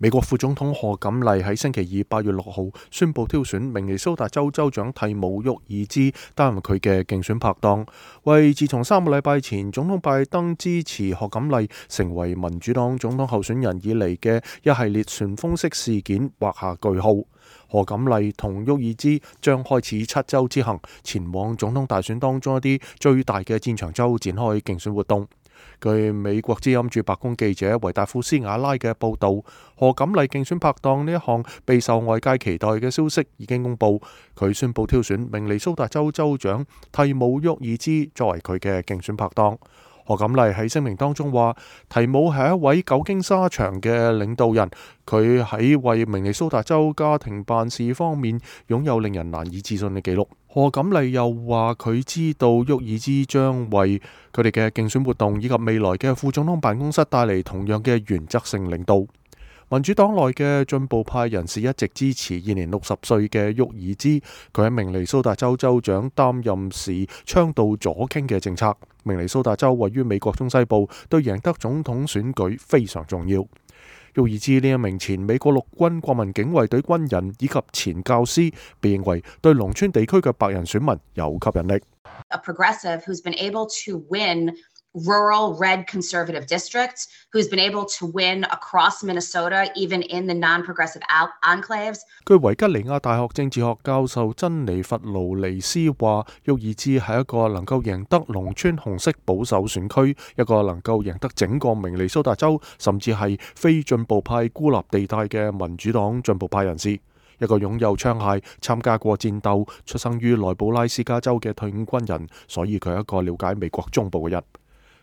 美國副總統賀錦麗喺星期二8月6號宣布挑選明尼蘇達州州長蒂姆沃爾茲擔任佢嘅競選拍檔，為自從3個禮拜前總統拜登支持賀錦麗成為民主黨總統候選人以嚟嘅一系列旋風式事件畫下句號。賀錦麗同沃爾茲將開始7州之行，前往總統大選當中一啲最大嘅戰場州展開競選活動。據美國之音駐白宮記者維達庫斯瓦拉嘅報道，賀錦麗競選拍檔呢一項備受外界期待嘅消息已經公布，佢宣布挑選明尼蘇達州州長蒂姆沃爾茲作為佢嘅競選拍檔。賀錦麗喺聲明當中話，蒂姆係一位久經沙場嘅領導人，佢喺為明尼蘇達州家庭辦事方面擁有令人難以置信嘅記錄。賀錦麗又話佢知道沃爾茲將為佢哋嘅競選活動以及未來嘅副總統辦公室帶嚟同樣嘅原則性領導。民主黨內嘅進步派人士一直支持現年60歲嘅沃爾茲，佢喺明尼蘇達州州長擔任時倡導左傾嘅政策。明尼蘇達州位於美國中西部，對贏得總統選舉非常重要。沃爾茲呢一名前美國陸軍國民警衛隊軍人以及前教師，被認為對農村地區嘅白人選民有吸引力。A progressive who's been able to win rural red conservative districts, who's been able to win across Minnesota, even in the non-progressive enclaves. 據維吉尼亞大學政治學教授珍妮弗勞尼斯話，沃爾茲係一個能夠贏得農村紅色保守選區，一個能夠贏得整個明尼蘇達州，甚至係非進步派孤立地帶嘅民主黨進步派人士，一個擁有槍械、參加過戰鬥、出生於內布拉斯加州嘅退伍軍人，所以佢係一個了解美國中部嘅人。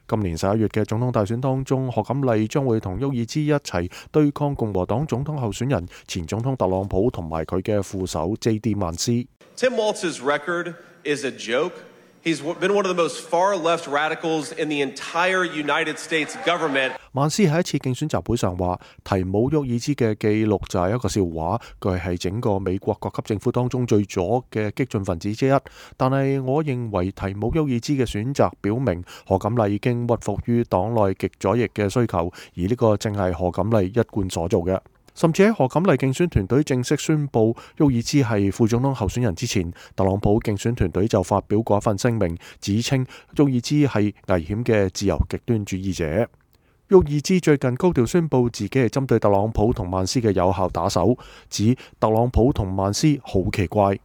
今年11月嘅總統大選當中，賀錦麗將會同沃爾茲一齊對抗共和黨總統候選人前總統特朗普同埋佢嘅副手 J.D. 曼斯。Tim Walz's record is a joke. He's been one of the most far-left radicals in the entire United States government. 曼斯喺一次競選集會上話，提姆沃爾茲嘅記錄就係一個笑話，佢係整個美國各級政府當中最左嘅激進分子之一。但係我認為提姆沃爾茲嘅選擇表明賀錦麗已經屈服於黨內極左翼嘅需求，而呢個正係賀錦麗一貫所做嘅。甚至喺賀錦麗競選團隊正式宣布沃爾茲係副總統候選人之前，特朗普競選團隊就發表過一份聲明，指稱沃爾茲係危險嘅自由極端主義者。沃爾茲最近高調宣布自己係針對特朗普同曼斯嘅有效打手，指特朗普同曼斯好奇怪。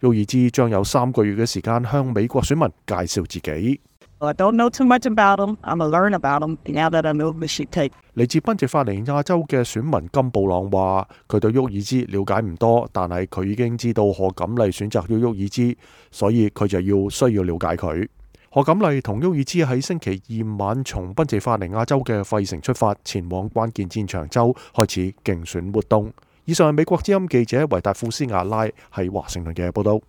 沃爾茲將有3個月嘅時間向美國選民介紹自己。I don't know too much about them. I'm gonna learn about them now that I know what she take. 嚟自賓夕法尼亞州嘅選民金布朗話：佢對沃爾茲了解唔多，但係佢已經知道賀錦麗選擇咗沃爾茲，所以佢就需要了解佢。賀錦麗同沃爾茲喺星期2晚從賓夕法尼亞州嘅費城出發，前往關鍵戰場州開始競選活動。以上係美國之音記者維達庫斯瓦拉喺華盛頓嘅報道。